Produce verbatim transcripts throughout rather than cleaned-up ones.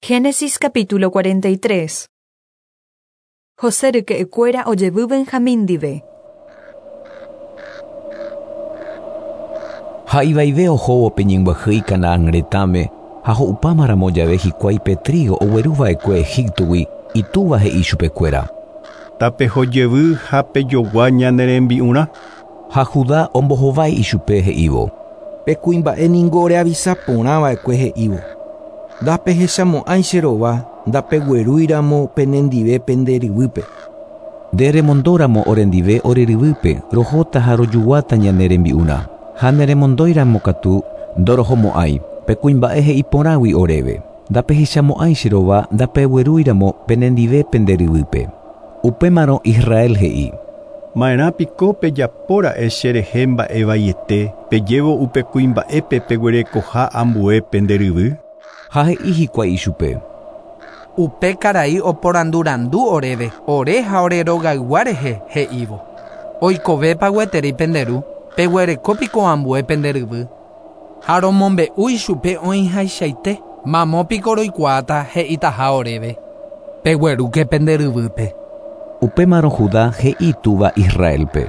Génesis capítulo cuarenta y tres. José ryke'ykuéra ojevy Benjamín ndive. Ha ivaive ohóvo pe ñembyahýi Canaán retãme ha ho'upámaramo jave hikuái pe trigo ogueruva'ekue Egiptogui itúva he'i chupekuéra. Tapehojevy ha pejogua ñane rembi'urã. Ha Judá ombohovái ichupe he'ívo. Pe kuimba'e ningo oreavisaporãva'ekue he'ívo. Ndapehechamo'ãi che rova, ndapeguerúiramo penendive pende ryvýpe. Nde remondóramo orendive ore ryvýpe, rohóta ha rojuguáta ñane rembi'urã. Ha neremondóiramo katu ndorohomo'ãi, pe kuimba'e he'iporãgui oréve. Ndapehechamo'ãi che rova, ndapeguerúiramo penendive pende ryvýpe. Upémarõ Israel he'i. Ma'erã piko pejapóra'e cherehe mba'evaiete, pejévo upe kuimba'épe peguerekoha ambue pende ryvy. Ha he'i hikuái ichupe. Upe karai oporandurandu oréve, ore ha ore rogaygua rehe he'ívo. Oikovépa gueteri pende ru, peguereko piko ambue pende ryvy. Ha romombe'u ichupe oĩhaichaite, mamo piko roikuaáta he'itaha oréve. Peguerúke pende ryvýpe. Upémarõ Judá he'i túva Israelpe.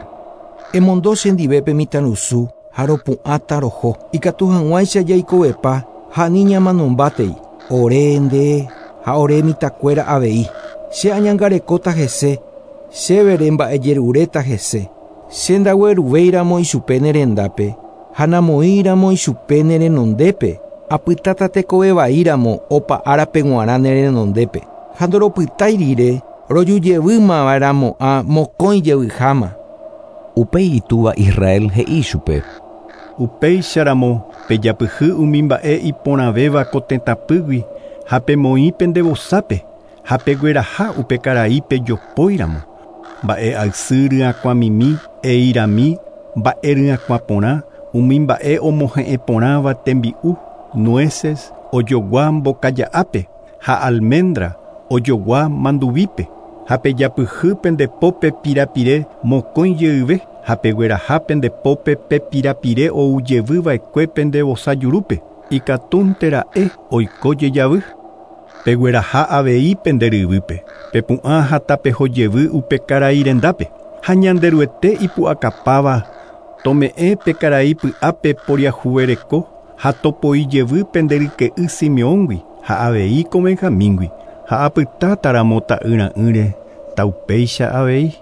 Emondo chendivépe mitãrusu ha ropu'ãta roho. Ikatu hag̃uáicha jaikovepa ha ani ñamanombátei. Ore nde ha ore mitãkuéra avei. Che añangarekóta hese, chévere mba'ejeruréta hese. Che ndagueruvéiramo ichupe ne rendápe ha namoĩramo ichupe ne renondépe. Apytáta tekovevaíramo opa árape g̃uarã ne renondépe. Ha ndoropytái rire rojujevýmava'erãmo'ã mokõi jevyháma. Upéi itúva Israel he'i chupe. Upéicharamo pejapyhy umi mba'e iporãvéva ko tetãpýgui ha pemoĩ pende vosápe ha pegueraha upe karai pejopóiramo. Mba'e aysy ryakuãmimi, eirami, mba'e ryakuã porã, umi mba'e omohe'ẽ porãva tembi'u, nueces, ojogua mbokaja'ápe ha almendra ojogua manduvípe. Ha pejapyhy pende pópe pirapire mokõi jeyve ha pegueraha pende pópe pe pirapire oujevyva'ekue pende vosa jurúpe. Ikatúntera'e oiko jejavy. Pegueraha avei pende ryvýpe. Pepu'ã ha tapehojevy upe karai rendápe. Ha Ñanderuete ipu'akapáva tome'ẽ pe karai py'ápe poriahuvereko ha topoijevy pende ryke'y Simeóngui ha avei ko Benjamíngui. Ha apytátaramo ta'yra'ỹre taupéicha avei.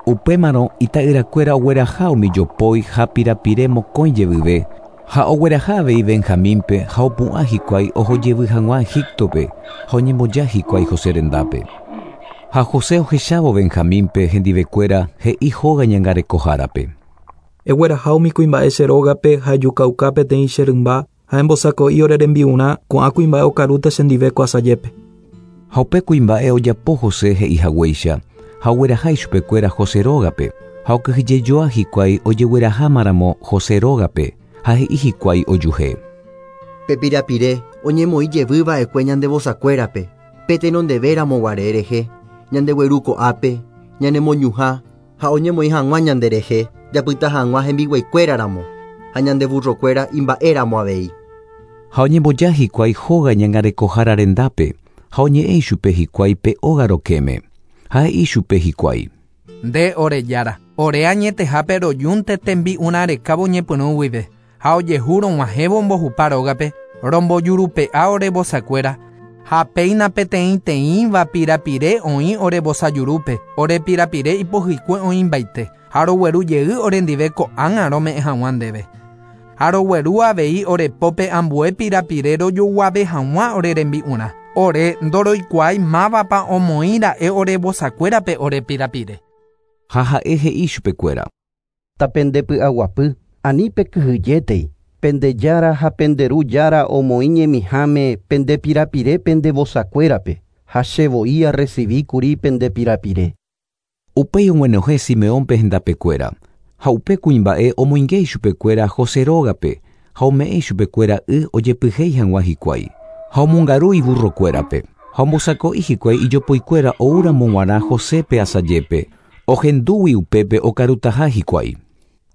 Upémarõ ita'yrakuéra ogueraha umi jopói ha pirapire mokõi jevyve ha ogueraha avei Benjamínpe ha opu'ã hikuái ohojevy hag̃ua Egiptope ha oñemboja hikuái José rendápe. Ha José ohechávo Benjamínpe hendivekuéra he'i hóga ñangarekohárape. Egueraha umi kuimba'e che rógape ha ejukauka peteĩ che rymba ha embosako'i ore rembi'urã ko'ã kuimba'e okarúta chendive ko asajépe. Ha upe kuimba'e ojapo José he'i haguéicha ha ogueraha ichupekuéra José rógape ha okyhyjejoa hikuái ojeguerahámaramo José rógape ha he'i hikuái ojuhe. Pe pirapire oñemoĩ jevyva'ekue ñande vosakuérape pe tenondevéramo guare rehe ñandegueru ko'ápe ñanemoñuhã ha oñemoĩ hag̃ua ñanderehe japyta hag̃ua hembiguaikuéraramo ha ñande burrokuéra imba'éramo avei. Ha oñemboja hikuái hóga ñangarekohára rendápe ha oñe'ẽ ichupe hikuái pe óga rokẽme. Ha he'i chupe hikuái. Nde ore jára, ore añetehápe rojúnte tembi'urã rekávo ñepyrũ guive ha ojehu rog̃uahẽvo mbohupa rógape rombojurupe'a ore vosakuéra ha péina peteĩteĩva pirapire oĩ ore vosa jurúpe ore pirapire ipohykue oĩmbaite ha rogueru jey orendive ko'ág̃a rome'ẽ hag̃ua ndéve. Ha rogueru avei ore pópe ambue pirapire rojoguave hag̃ua ore rembi'urã. Ore ndoroikuaái mávapa omoĩra'e ore vosakuérape ore pirapire. Ha ha'e he'i chupekuéra. Tapendepy'aguapy ani pekyhyjétei pende jára ha pende ru jára omoĩ ñemiháme pende pirapire pende vosakuérape ha che voi arrecibíkuri pende pirapire. Upéi og̃uenohẽ Simeónpe hendapekuéra ha upe kuimba'e omoinge ichupekuéra José rógape ha ome'ẽ ichupekuéra y ojepyhéi hag̃ua hikuái. Ha omongaru iburrokuérape ha ombosako'i hikuái ijopoikuéra oúramo g̃uarã Josépe asajépe ohendúgui upépe okarutaha hikuái.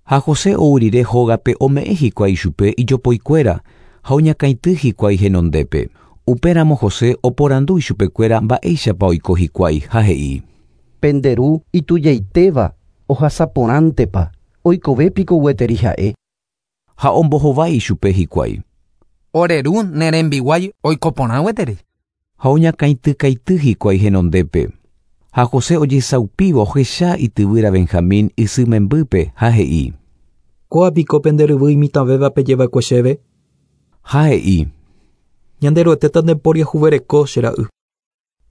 Ha José ou rire hógape ome'ẽ hikuái ichupe ijopoikuéra ha oñakãity hikuái henondépe. Upéramo José oporandu ichupekuéra mba'éichapa oiko hikuái ha he'i. Pende ru itujaitéva ohasaporãntepa oikovépiko gueteri ha'e. Ha ombohovái ichupe hikuái. Ore ru ne rembiguái oiko porã gueteri. Ha oñakãitykaity hikuái henondépe. Ha José ojesaupívo ohecha ityvýra Benjamín isy membýpe ha he'i. Kóa piko pende ryvy imitãvéva pejeva'ekue chéve. Ha he'i. Ñanderuetéta ndeporiahuvereko che ra'y.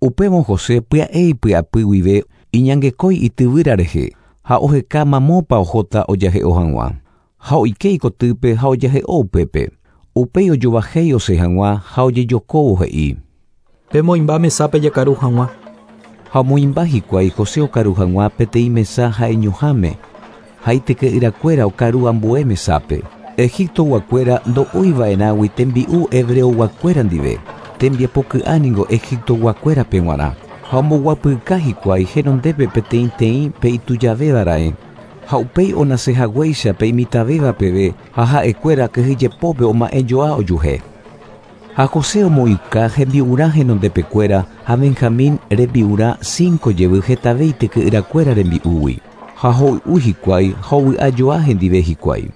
Upévo José pya'e ipy'apy guive iñangekói ityvýra rehe ha oheka mamópa ohóta ojahe'o hag̃ua. Ha oike ikotýpe ha ojahe'o upépe. Upéi ojovahéi osẽ hag̃ua ha ojejokóvo he'i. Pemoĩmba mesápe jakaru hag̃ua. Ha omoĩmba hikuái José okaru hag̃ua peteĩ mesa ha'eñoháme ha ityke'yrakuéra okaru ambue mesápe. Egiptoguakuéra ndo'úiva'erãgui tembi'u hebreoguakuéra ndive. Tembiapoky'a ningo Egiptoguakuérape g̃uarã. Ha omboguapyka hikuái henondépe peteĩteĩ pe itujavéva ra'e. Ha upéi onasehaguéicha pe imitãvéva peve ha ha'ekuéra kyhyjepópe oma'ẽjoa ojuhe. Ha José omoĩuka hembi'urã henondepekuéra ha Benjamín rembi'urã cinco jevy hetave ityke'yrakuéra rembi'úgui. Ha hoy'u hikuái ha ovy'ajoa hendive hikuái.